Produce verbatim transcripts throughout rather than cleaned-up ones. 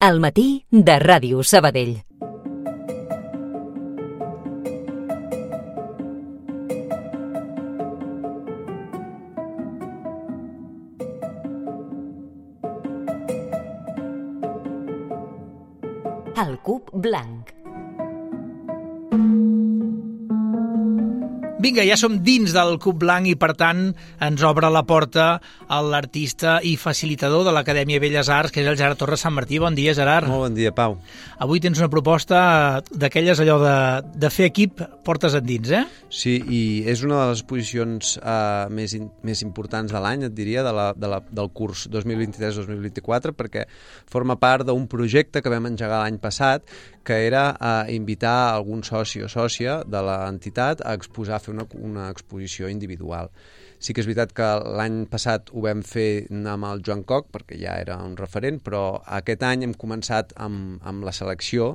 Al matí de Ràdio Sabadell. El cub blanc. Vinga, ja som dins del Cub Blanc i, per tant, ens obre la porta a l'artista i facilitador de l'Acadèmia Belles Arts, que és el Gerard Torres Sant Martí. Bon dia, Gerard. Molt bon dia, Pau. Avui tens una proposta d'aquelles allò de, de fer equip portes endins, eh? Sí, i és una de les exposicions uh, més, in, més importants de l'any, et diria, de la, de la, del curs dos mil vint-i-tres dos mil vint-i-quatre, perquè forma part d'un projecte que vam engegar l'any passat, que era uh, invitar algun soci o sòcia de l'entitat a exposar, a fer una, una exposició individual. Sí que és veritat que l'any passat ho vam fer amb el Joan Coc, perquè ja era un referent, però aquest any hem començat amb, amb la selecció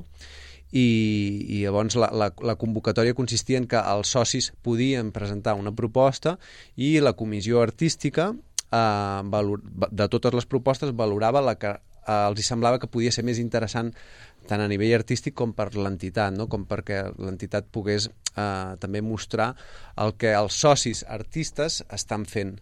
i, i llavors la, la, la convocatòria consistia en que els socis podien presentar una proposta i la comissió artística eh, valor, de totes les propostes valorava la que eh, els hi semblava que podia ser més interessant tant a nivell artístic com per l'entitat, no? Com perquè l'entitat pogués eh, també mostrar el que els socis artistes estan fent.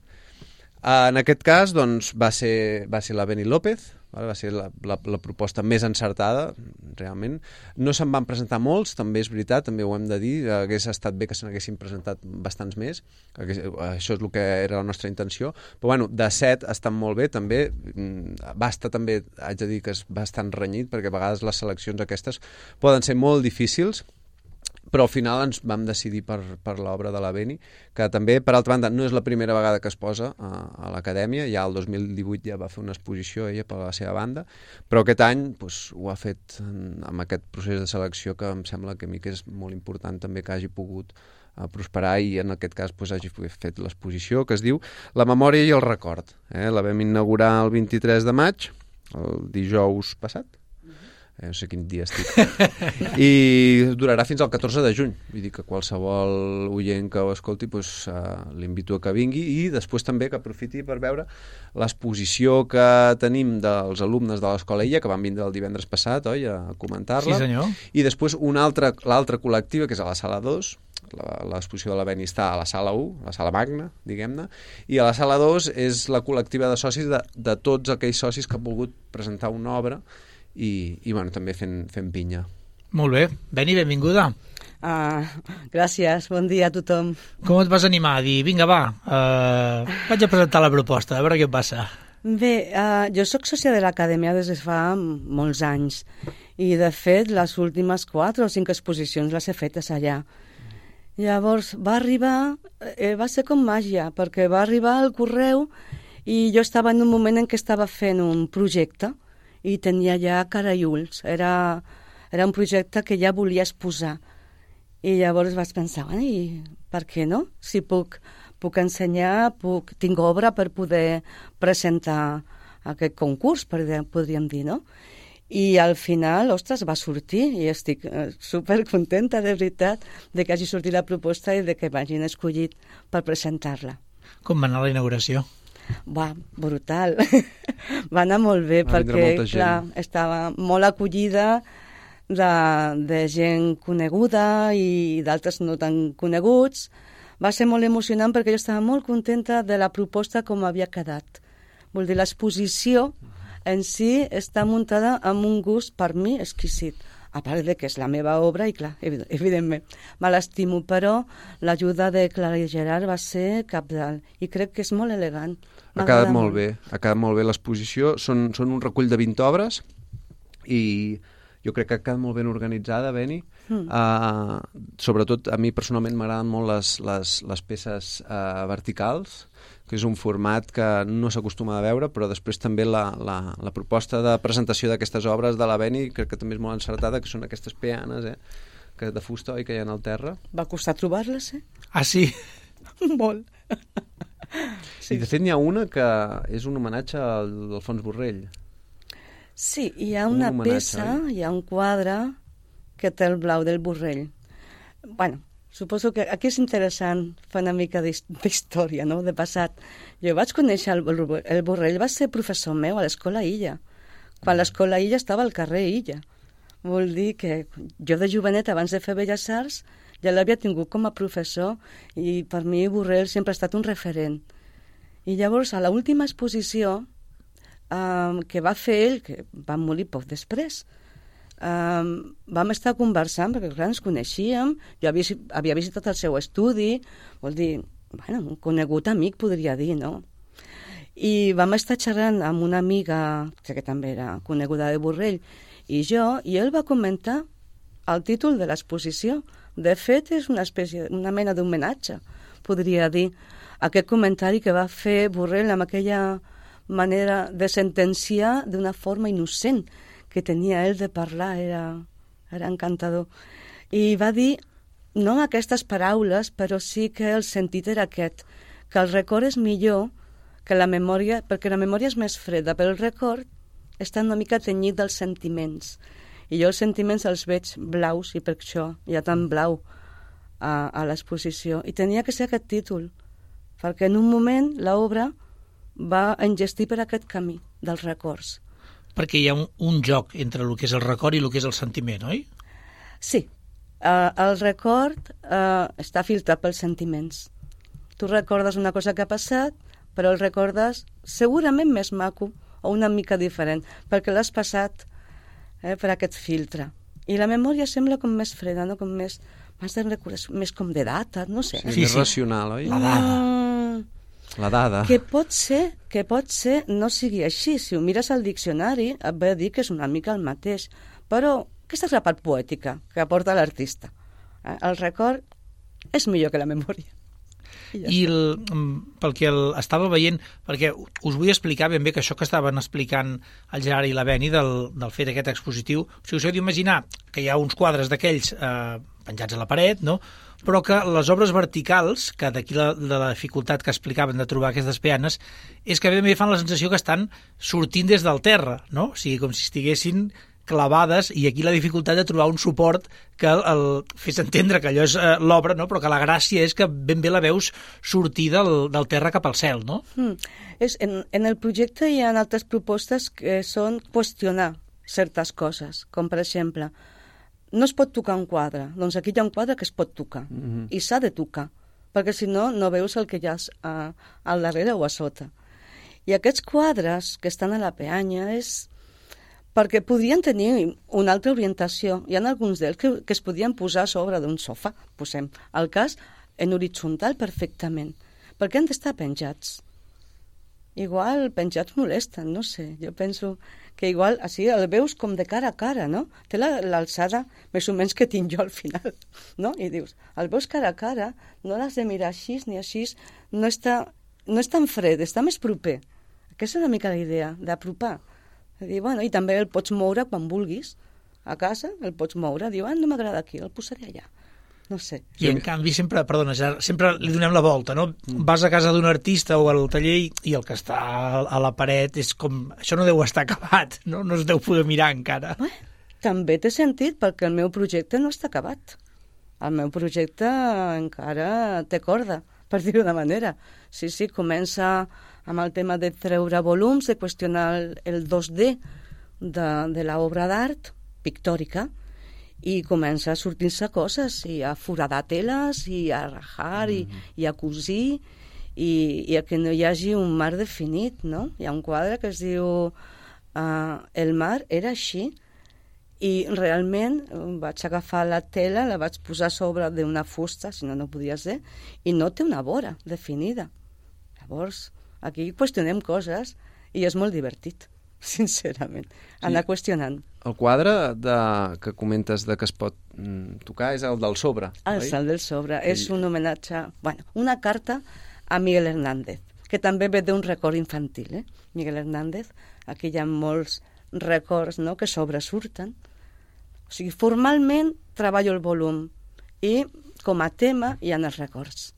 Eh, en aquest cas, doncs, va ser, va ser la Beni López, va ser la, la, la proposta més encertada, realment. No se'n van presentar molts, també és veritat, també ho hem de dir, hagués estat bé que se n'haguessin presentat bastants més, això és el que era la nostra intenció, però bueno, de set estan molt bé, també va estar també, haig de dir que és bastant renyit, perquè a vegades les seleccions aquestes poden ser molt difícils, però al final ens vam decidir per, per l'obra de la Beni, que també, per altra banda, no és la primera vegada que es posa a, a l'Acadèmia, ja el dos mil divuit ja va fer una exposició ella per la seva banda, però aquest any doncs, ho ha fet amb aquest procés de selecció que em sembla que a mi que és molt important també que hagi pogut a prosperar i en aquest cas doncs, hagi fet l'exposició que es diu La memòria i el record. Eh? La vam inaugurar el vint-i-tres de maig, el dijous passat, eh, no sé quin dia estic, i durarà fins al catorze de juny, vull dir que qualsevol oient que ho escolti doncs, uh, l'invito a que vingui i després també que aprofiti per veure l'exposició que tenim dels alumnes de l'Escola Illa, que van vindre el divendres passat, oi, a comentar-la. Sí, senyor. I després una altra, l'altra col·lectiva, que és a la sala dos, l'exposició de la Beni està a la sala u, la sala magna, diguem-ne, i a la sala dos és la col·lectiva de socis de, de tots aquells socis que han volgut presentar una obra i, i bueno, també fent, fent pinya. Molt bé. Beni, benvinguda. Ah, gràcies, bon dia a tothom. Com et vas animar a dir, vinga, va, uh, vaig a presentar la proposta, a veure què passa? Bé, uh, jo sóc sòcia de l'Acadèmia des de fa molts anys i, de fet, les últimes quatre o cinc exposicions les he fetes allà. Llavors va arribar, eh, va ser com màgia, perquè va arribar el correu i jo estava en un moment en què estava fent un projecte i tenia ja cara i ulls. Era, era un projecte que ja volia exposar. I llavors vaig pensar, bueno, i per què no? Si puc, puc ensenyar, puc, tinc obra per poder presentar aquest concurs, podríem dir, no? I al final, ostres, va sortir i estic supercontenta, de veritat, de que hagi sortit la proposta i de que m'hagin escollit per presentar-la. Com va anar la inauguració? Va, brutal. Va anar molt bé, va perquè clar, estava molt acollida de, de gent coneguda i d'altres no tan coneguts. Va ser molt emocionant perquè jo estava molt contenta de la proposta com havia quedat. Vol dir, l'exposició en si està muntada amb un gust per mi exquisit, a part de que és la meva obra i clar, evidentment me l'estimo, però l'ajuda de Clara i Gerard va ser cabdal i crec que és molt elegant. Ha quedat molt bé, ha quedat molt bé l'exposició, són, són un recull de vint obres i jo crec que ha quedat molt ben organitzada, Beni. Mm. Uh, sobretot a mi personalment m'agraden molt les, les, les peces uh, verticals, que és un format que no s'acostuma a veure, però després també la, la, la proposta de presentació d'aquestes obres de la Beni crec que també és molt encertada, que són aquestes peanes, eh, que de fusta, oi, que hi ha al terra. Va costar trobar-les, eh? Ah, sí? Molt. Sí. I de fet n'hi ha una que és un homenatge al Alfons Borrell. Sí, hi ha una un peça, oi? Hi ha un quadre que té el blau del Borrell. Bueno, suposo que aquí és interessant fer una mica d'història, no?, de passat. Jo vaig conèixer el, el Borrell, va ser professor meu a l'Escola Illa, quan l'escola Illa estava al carrer Illa. Vol dir que jo de jovenet, abans de fer Belles Arts, ja l'havia tingut com a professor i per mi Borrell sempre ha estat un referent. I llavors, a l'última exposició um, que va fer ell, que va morir poc després, um, vam estar conversant, perquè clar, ens coneixíem, jo havia, havia visitat el seu estudi, vol dir, bueno, un conegut amic, podria dir, no? I vam estar xerrant amb una amiga, que també era coneguda de Borrell, i jo, i ell va comentar el títol de l'exposició. De fet, és una espècie, una mena d'homenatge, podria dir, aquest comentari que va fer Borrell amb aquella manera de sentenciar d'una forma innocent que tenia ell de parlar, era, era encantador. I va dir, no aquestes paraules, però sí que el sentit era aquest, que el record és millor que la memòria, perquè la memòria és més freda, però el record està una mica tenyit dels sentiments. I jo els sentiments els veig blaus, i per això hi ha tant blau a, a l'exposició. I tenia que ser aquest títol, perquè en un moment l'obra va engestir per aquest camí dels records. Perquè hi ha un, un joc entre el que és el record i el que és el sentiment, oi? Sí. Uh, el record uh, està filtrat pels sentiments. Tu recordes una cosa que ha passat, però el recordes segurament més maco o una mica diferent, perquè l'has passat eh, per aquest filtre. I la memòria sembla com més freda, no? Com més, més, més com de data, no sé. Sí, sí, més sí. Racional, oi? La dada. Mm, la dada. Que pot ser, que pot ser no sigui així. Si ho mires al diccionari, et ve a dir que és una mica el mateix. Però aquesta és la part poètica que aporta l'artista. Eh? El record és millor que la memòria. I, ja I el, pel que el, estava veient, perquè us vull explicar ben bé que això que estaven explicant el Gerard i la Beni del, del fet aquest expositiu, o sigui, us heu d'imaginar que hi ha uns quadres d'aquells eh, penjats a la paret, no? Però que les obres verticals, que d'aquí la, de la dificultat que explicaven de trobar aquestes peanes, és que ben bé fan la sensació que estan sortint des del terra, no? O sigui, com si estiguessin clavades, i aquí la dificultat de trobar un suport que el, el fes entendre que allò és eh, l'obra, no? Però que la gràcia és que ben bé la veus sortir del, del terra cap al cel, no? Mm. És, en, en el projecte hi ha altres propostes que són qüestionar certes coses, com per exemple, no es pot tocar un quadre, doncs aquí hi ha un quadre que es pot tocar, mm-hmm. i s'ha de tocar, perquè si no, no veus el que hi ha a, al darrere o a sota. I aquests quadres que estan a la peanya és perquè podrien tenir una altra orientació. Hi ha alguns d'ells que, que es podien posar a sobre d'un sofà, posem el cas en horitzontal perfectament. Per què han d'estar penjats? Igual penjats molesten, no sé. Jo penso que igual així el veus com de cara a cara, no? Té l'alçada més o menys que tinc jo al final, no? I dius, el veus cara a cara, no l'has de mirar així ni així, no està, no és tan fred, està més proper. Aquesta és una mica la idea, d'apropar. Dir, bueno, i també el pots moure quan vulguis a casa, el pots moure, diu, ah, no m'agrada aquí, el posaré allà, no sé. I en canvi sempre, perdona, sempre li donem la volta, no? Vas a casa d'un artista o al taller i el que està a la paret és com, això no deu estar acabat, no? No es deu poder mirar encara. Bé, també té sentit, perquè el meu projecte no està acabat. El meu projecte encara té corda, per dir-ho de manera. Sí, sí, comença amb el tema de treure volums, de qüestionar el, el dos D de, de l'obra d'art pictòrica, i comença a sortir-se coses, i a foradar teles, i a rajar, mm -hmm. i, i a cosir, i, i a que no hi hagi un mar definit, no? Hi ha un quadre que es diu uh, El mar era així, i realment vaig agafar la tela, la vaig posar sobre d'una fusta, si no, no podia ser, i no té una vora definida. Llavors, aquí qüestionem coses i és molt divertit, sincerament, anar sí. qüestionant. El quadre de, que comentes de que es pot mm, tocar és el del sobre, ah, oi? És el del sobre. I... És un homenatge, bueno, una carta a Miguel Hernández, que també ve d'un record infantil, eh? Miguel Hernández, aquí hi ha molts records, no?, que sobresurten. O sigui, formalment treballo el volum i com a tema hi ha els records.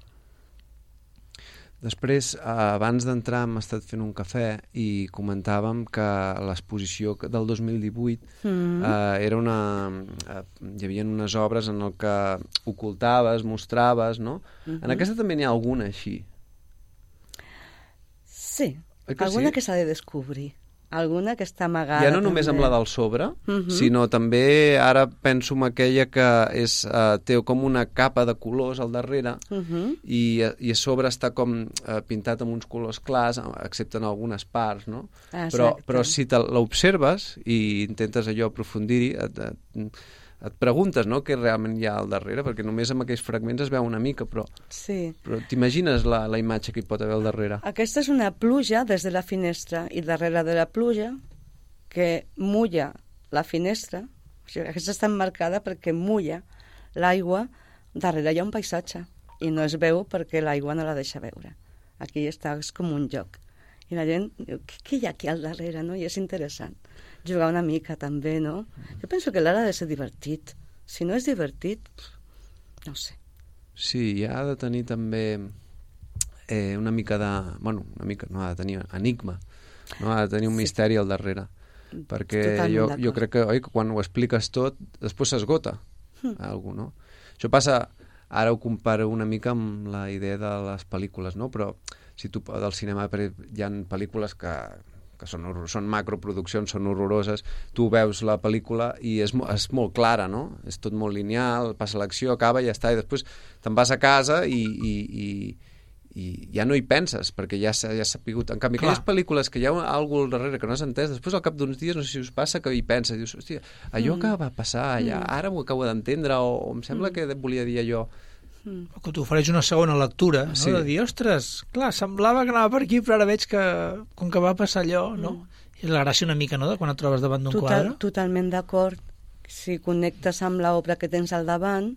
Després, abans d'entrar hem estat fent un cafè i comentàvem que l'exposició del dos mil divuit mm. eh, era una... Eh, hi havia unes obres en el que ocultaves, mostraves, no? Mm-hmm. En aquesta també n'hi ha alguna així. Sí, alguna sí? que s'ha de descobrir. alguna que està amagada. Ja no només també. amb la del sobre, uh Mhm. -huh. sinó també, ara penso en aquella que és, uh, té com una capa de colors al darrere, Uh -huh. i, i a sobre està com uh, pintat amb uns colors clars, excepte en algunes parts, no? Però, Exacte. però si te l'observes i intentes allò aprofundir-hi, et, et, et preguntes, no?, què realment hi ha al darrere, perquè només amb aquells fragments es veu una mica, però, Sí. però t'imagines la, la imatge que hi pot haver al darrere? Aquesta és una pluja des de la finestra i darrere de la pluja que mulla la finestra. O sigui, aquesta està emmarcada perquè mulla l'aigua. Darrere hi ha un paisatge i no es veu perquè l'aigua no la deixa veure. Aquí està, és com un joc. I la gent diu, què, què hi ha aquí al darrere, no? I és interessant. Jugar una mica també, no? Jo penso que l'art ha de ser divertit. Si no és divertit, no ho sé. Sí, i ha de tenir també eh, una mica de... Bueno, una mica, no ha de tenir enigma, no ha de tenir un Sí. misteri al darrere, perquè Totalment jo, d'acord. jo crec que, oi, que quan ho expliques tot, després s'esgota Hm. algú, no? Això passa, ara ho comparo una mica amb la idea de les pel·lícules, no? Però si tu del cinema hi ha pel·lícules que que són, horror, són macroproduccions, són horroroses, tu veus la pel·lícula i és, és molt clara, no? És tot molt lineal, passa l'acció, acaba i ja està, i després te'n vas a casa i, i, i, i ja no hi penses, perquè ja s'ha ja sapigut. En canvi, Clar. aquelles pel·lícules que hi ha algú al darrere que no has entès, després al cap d'uns dies, no sé si us passa, que hi penses, dius, hòstia, allò Mm. que va passar allà, Mm. ara m'ho acabo d'entendre, o, o em sembla Mm. que volia dir allò. Mm. Que t'ofereix una segona lectura, no? Sí. De dir, ostres, clar, semblava que anava per aquí, però ara veig que, com que va passar allò, no? Mm. És la gràcia una mica, no?, de quan et trobes davant d'un Total, quadre. totalment d'acord. Si connectes amb l'obra que tens al davant,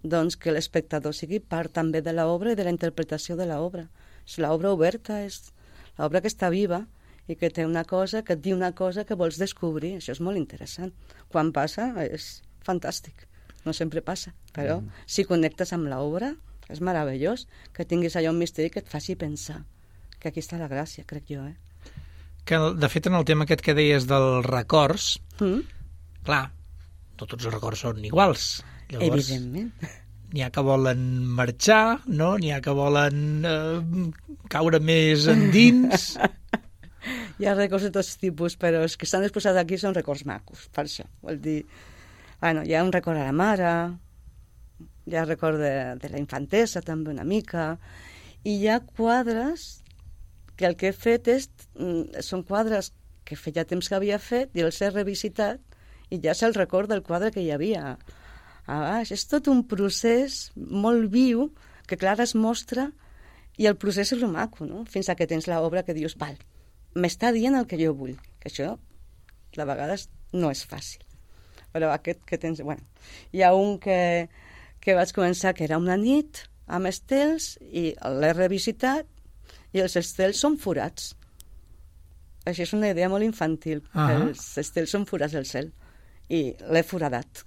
doncs que l'espectador sigui part també de l'obra i de la interpretació de l'obra. És l'obra oberta, és l'obra que està viva i que té una cosa, que et diu una cosa que vols descobrir. Això és molt interessant. Quan passa, és fantàstic. No sempre passa, però mm. si connectes amb l'obra, és meravellós que tinguis allò un misteri que et faci pensar. Que aquí està la gràcia, crec jo, eh? Que, de fet, en el tema aquest que deies dels records, Mm? clar, no tots els records són iguals. Llavors, Evidentment. n'hi ha que volen marxar, no? N'hi ha que volen eh, caure més endins. Hi ha records de tots tipus, però els que estan exposats aquí són records macos, per això. Vol dir, bueno, hi ha un record a la mare, hi ha record de, de la infantesa també una mica, i hi ha quadres que el que he fet és, mm, són quadres que feia temps que havia fet i els he revisitat i ja és el record del quadre que hi havia a baix. És tot un procés molt viu que clar es mostra i el procés és el maco, no? Fins a que tens l'obra que dius, val, m'està dient el que jo vull, que això de vegades no és fàcil. Però aquest que tens... Bueno, hi ha un que, que vaig començar que era una nit amb estels i l'he revisitat i els estels són forats. Això és una idea molt infantil. Ah. Els estels són forats del cel i l'he foradat.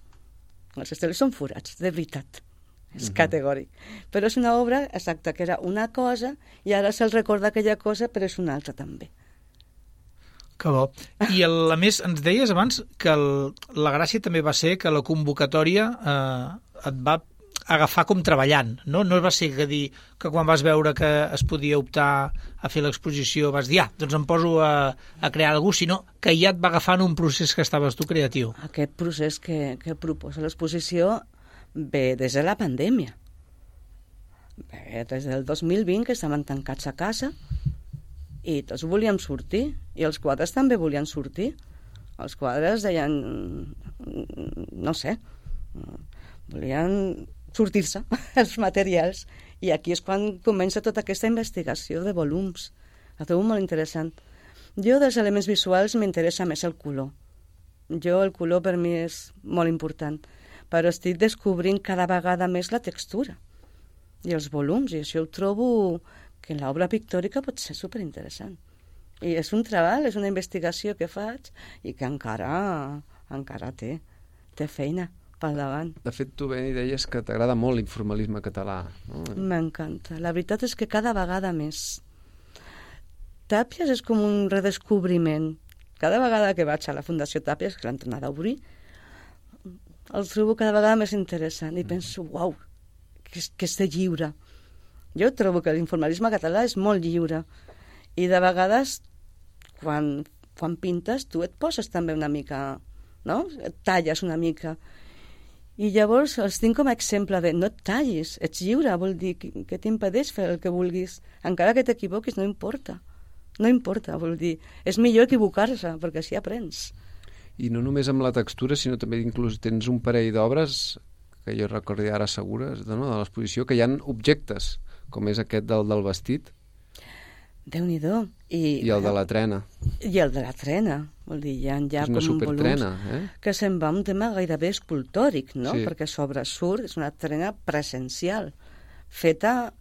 Els estels són forats, de veritat. És Mhm. categòric. Però és una obra exacta, que era una cosa i ara se'l recorda aquella cosa, però és una altra també. Que bo. I el, a més, ens deies abans que el, la gràcia també va ser que la convocatòria eh, et va agafar com treballant, no? No va ser que dir que quan vas veure que es podia optar a fer l'exposició vas dir, ah, doncs em poso a, a crear alguna cosa, sinó que ja et va agafant un procés que estaves tu creatiu. Aquest procés que, que proposa l'exposició ve des de la pandèmia. Ve des del dos mil vint, que estaven tancats a casa i tots volíem sortir, i els quadres també volien sortir. Els quadres deien, no sé, volien sortir-se els materials, i aquí és quan comença tota aquesta investigació de volums. La trobo molt interessant. Jo dels elements visuals m'interessa més el color. Jo el color per mi és molt important, però estic descobrint cada vegada més la textura i els volums, i això ho trobo que en l'obra pictòrica pot ser superinteressant. I és un treball, és una investigació que faig i que encara, encara té, té feina pel davant. De fet, tu ben deies que t'agrada molt l'informalisme català, no? M'encanta. La veritat és que cada vegada més. Tàpies és com un redescobriment. Cada vegada que vaig a la Fundació Tàpies, que l'han tornat a obrir, el trobo cada vegada més interessant i penso, uau, que, és- que és de lliure. Jo trobo que l'informalisme català és molt lliure i de vegades quan quan pintes tu et poses també una mica, no? Et talles una mica. I llavors els tinc com a exemple de no et tallis, ets lliure, vol dir que, que t'impedeix fer el que vulguis. Encara que t'equivoquis, no importa. No importa, vol dir, és millor equivocar-se, perquè així aprens. I no només amb la textura, sinó també inclús tens un parell d'obres que jo recordi ara segures, de, no, de l'exposició, que hi ha objectes, com és aquest del, del vestit. Déu-n'hi-do. I, I el de la trena. I el de la trena. Vol dir, hi ha ja és una com supertrena, eh? que se'n va un tema gairebé escultòric, no? Sí. Perquè sobre surt, és una trena presencial, feta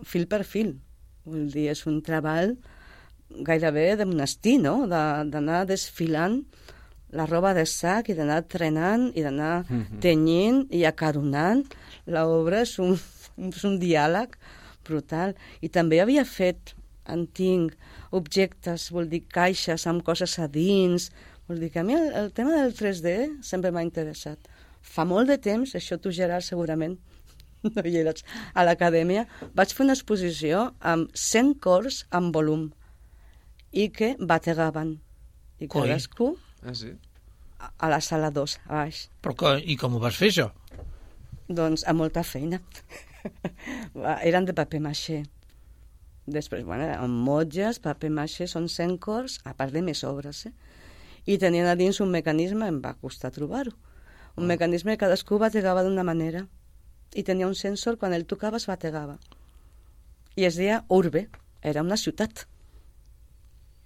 fil per fil. Vol dir, és un treball gairebé de monestir, no? D'anar desfilant la roba de sac i d'anar trenant i d'anar mm-hmm. tenyint i acaronant. L'obra és un, és un diàleg brutal. I també havia fet, en tinc, objectes, vol dir caixes amb coses a dins. Vol dir que a mi el, el tema del tres D sempre m'ha interessat. Fa molt de temps, això tu, Gerard, segurament no hi eres, a l'acadèmia, vaig fer una exposició amb cent cors en volum i que bategaven. I cadascú ah, sí? a, a la sala dos, a baix. Però que, i com ho vas fer, això? Doncs amb molta feina. Eren de paper maixé. Després, bueno, amb motges, paper maixé, són cent cors, a part de més obres, eh? I tenien a dins un mecanisme, em va costar trobar-ho, un oh. mecanisme que cadascú bategava d'una manera i tenia un sensor, quan ell tocava es bategava. I es deia Urbe, era una ciutat.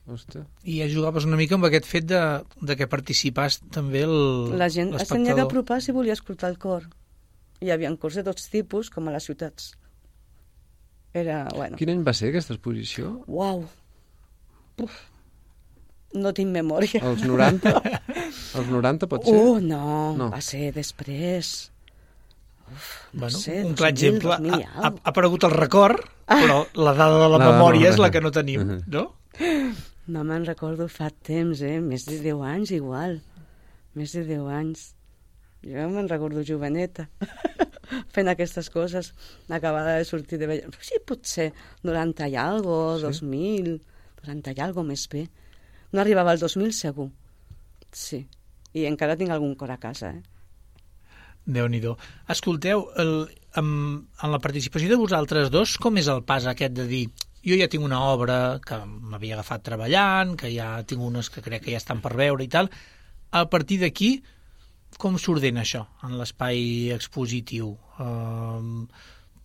Hòstia. I ja jugaves una mica amb aquest fet de, de que participàs també el, la gent es tenia l'espectador. que apropar si volia escoltar el cor. Hi havia cors de tots tipus, com a les ciutats. Era, bueno... Quin any va ser aquesta exposició? Uau! Uf. No tinc memòria. Els noranta? Els noranta pot ser? Uh, no, no, va ser després. Uf, no bueno, sé, un clar dos mil, exemple, dos mil ha, ha aparegut el record, però la dada de la, la memòria dada, és la que no tenim, no? No me'n recordo fa temps, eh? Més de deu anys, igual. Més de deu anys. Jo me'n recordo joveneta, fent aquestes coses, acabada de sortir de vella. Sí, potser noranta i algo, sí? dos mil, noranta i algo més bé. No arribava al dos mil segur. Sí. I encara tinc algun cor a casa, eh? Déu-n'hi-do. Escolteu, el, amb, en la participació de vosaltres dos, com és el pas aquest de dir jo ja tinc una obra que m'havia agafat treballant, que ja tinc unes que crec que ja estan per veure i tal, a partir d'aquí, com s'ordena això en l'espai expositiu? Uh,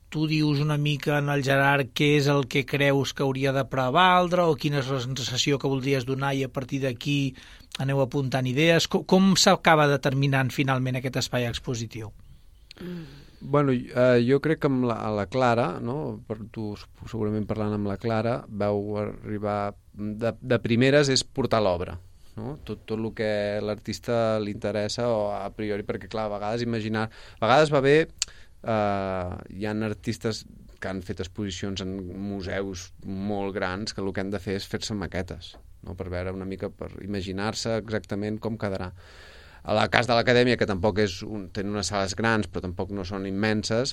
tu dius una mica en el Gerard què és el que creus que hauria de prevaldre o quina és la sensació que voldries donar i a partir d'aquí aneu apuntant idees? Com, com s'acaba determinant finalment aquest espai expositiu? Bueno, eh, jo crec que amb la, la Clara, no? Per tu segurament parlant amb la Clara, vau arribar de, de primeres és portar l'obra, no? Tot, tot el que l'artista li interessa o a priori, perquè clar, a vegades imaginar, a vegades va bé, eh, hi ha artistes que han fet exposicions en museus molt grans que el que han de fer és fer-se maquetes, no? Per veure una mica, per imaginar-se exactament com quedarà. A la cas de l'acadèmia, que tampoc és un, tenen unes sales grans, però tampoc no són immenses,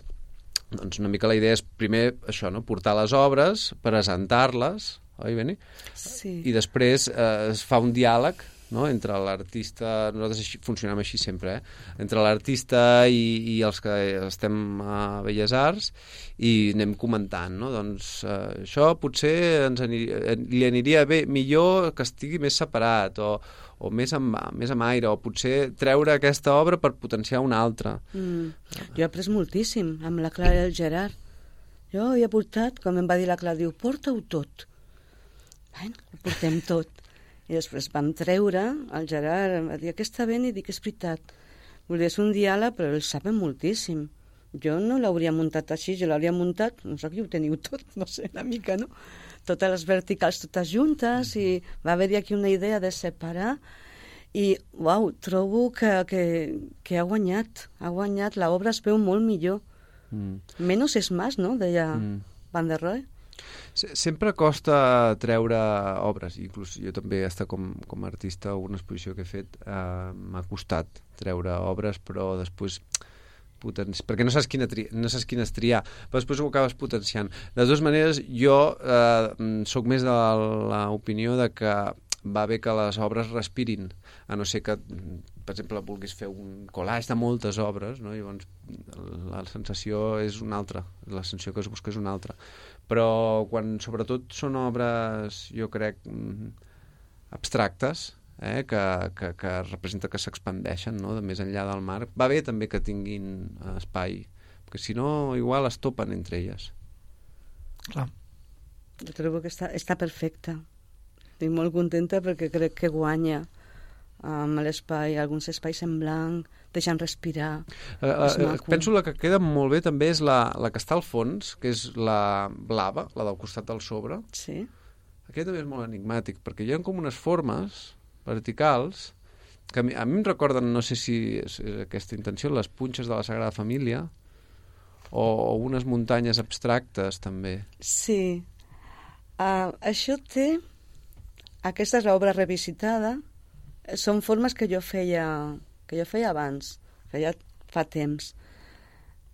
doncs una mica la idea és primer això, no? Portar les obres, presentar-les, oi, Beni? Sí. I després eh, es fa un diàleg, no? Entre l'artista, nosaltres així, funcionem així sempre, eh? Entre l'artista i, i els que estem a Belles Arts i anem comentant, no? Doncs eh, això potser ens aniria, li aniria bé, millor que estigui més separat o, o més amb, més amb aire, o potser treure aquesta obra per potenciar una altra. Mm. Jo he après moltíssim amb la Clara i el Gerard. Jo hi he portat, com em va dir la Clara, diu, porta-ho tot. Bueno, ho portem tot. I després vam treure, el Gerard em va dir, aquesta ben, i dic, és veritat. Vull dir, és un diàleg, però ells saben moltíssim. Jo no l'hauria muntat així, jo l'hauria muntat, no sé, aquí ho teniu tot, no sé, una mica, no? Totes les verticals totes juntes, i va haver-hi aquí una idea de separar, i, uau, trobo que, que, que ha guanyat, ha guanyat, l'obra es veu molt millor. Mm. Menos és más, no?, deia mm. Van der Rohe. Sempre costa treure obres, inclús jo també he estat com, com a artista, una exposició que he fet, eh, m'ha costat treure obres, però després potenci... perquè no saps, quina tri... no saps quines triar, però després ho acabes potenciant. De totes maneres, jo eh, soc més de l'opinió de que va bé que les obres respirin, a no ser que, per exemple, vulguis fer un collage de moltes obres, no? Llavors la sensació és una altra, la sensació que es busca és una altra. Però quan sobretot són obres, jo crec, abstractes, eh? que, que, que representa que s'expandeixen, no? De més enllà del mar, va bé també que tinguin espai, perquè si no igual es topen entre elles. Clar. Jo trobo que està, està perfecta. Estic molt contenta perquè crec que guanya amb l'espai, alguns espais en blanc, deixant respirar. Uh, uh, penso la que queda molt bé també és la, la que està al fons, que és la blava, la del costat del sobre. Sí. Aquest també és molt enigmàtic, perquè hi ha com unes formes verticals que a mi, a mi em recorden, no sé si és, és aquesta intenció, les punxes de la Sagrada Família o, o unes muntanyes abstractes també. Sí. Uh, això té... Aquesta és l'obra revisitada. Són formes que jo feia que jo feia abans, feia fa temps.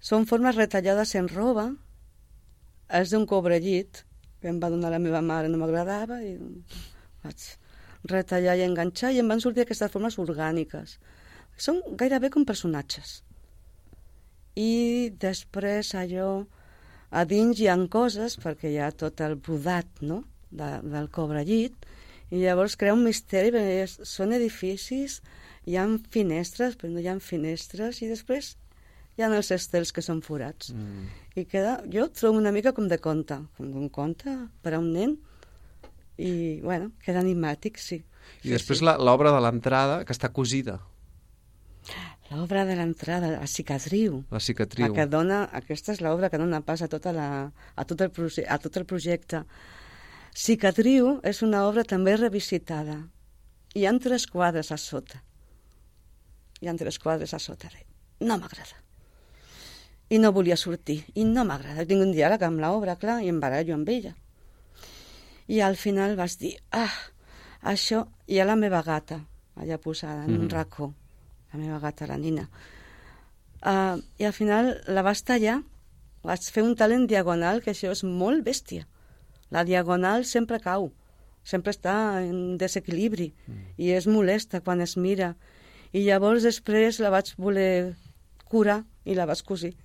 Són formes retallades en roba. És d'un cobrellit que em va donar la meva mare, no m'agradava, i vaig retallar i enganxar, i em van sortir aquestes formes orgàniques. Són gairebé com personatges. I després allò, a dins hi ha coses, perquè hi ha tot el brodat, no?, de, del cobrellit, i llavors crea un misteri, perquè són edificis, hi ha finestres, però no hi ha finestres, i després hi ha els estels que són forats. Mm. I queda, jo trobo una mica com de conte, com d'un conte per a un nen, i, bueno, queda animàtic, sí. I sí, després sí. l'obra de l'entrada, que està cosida. L'obra de l'entrada, la cicatriu. La cicatriu. La que dona, aquesta és l'obra que dona pas a, tota la, a, tot el, a tot el projecte. Cicatriu és una obra també revisitada. Hi ha tres quadres a sota. Hi ha tres quadres a sota. No m'agrada. I no volia sortir. I no m'agrada. Tinc un diàleg amb l'obra, clar, i em barallo amb ella. I al final vas dir, ah, això... Hi ha la meva gata, allà posada, en mm-hmm. un racó. La meva gata, la Nina. Uh, I al final la vas tallar. Vas fer un talent diagonal, que això és molt bèstia. La diagonal sempre cau, sempre està en desequilibri mm. i és molesta quan es mira. I llavors després la vaig voler curar i la vas cosir.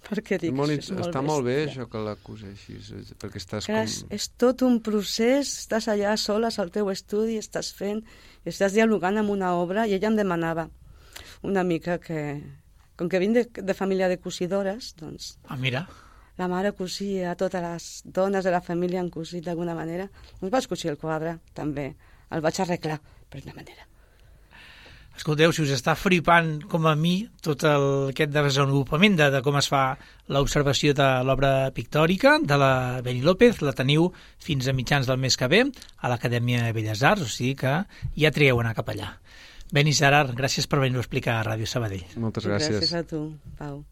Perquè dic, molt, és molt està bèstia. Molt bé això que la coseixis, perquè estàs Clar, com... És tot un procés, estàs allà soles al teu estudi, estàs fent, estàs dialogant amb una obra, i ella em demanava una mica que, com que vinc de, de família de cosidores, doncs... Ah, mira... La mare cosia, totes les dones de la família han cosit d'alguna manera. Doncs vaig cosir el quadre, també. El vaig arreglar, per una manera. Escolteu, si us està flipant, com a mi, tot el, aquest desenvolupament de, de com es fa l'observació de l'obra pictòrica de la Beni López, la teniu fins a mitjans del mes que ve a l'Acadèmia de Belles Arts, o sigui que ja trieu anar cap allà. Beni Gerard, gràcies per venir-ho a explicar a Ràdio Sabadell. Moltes gràcies. Gràcies a tu, Pau.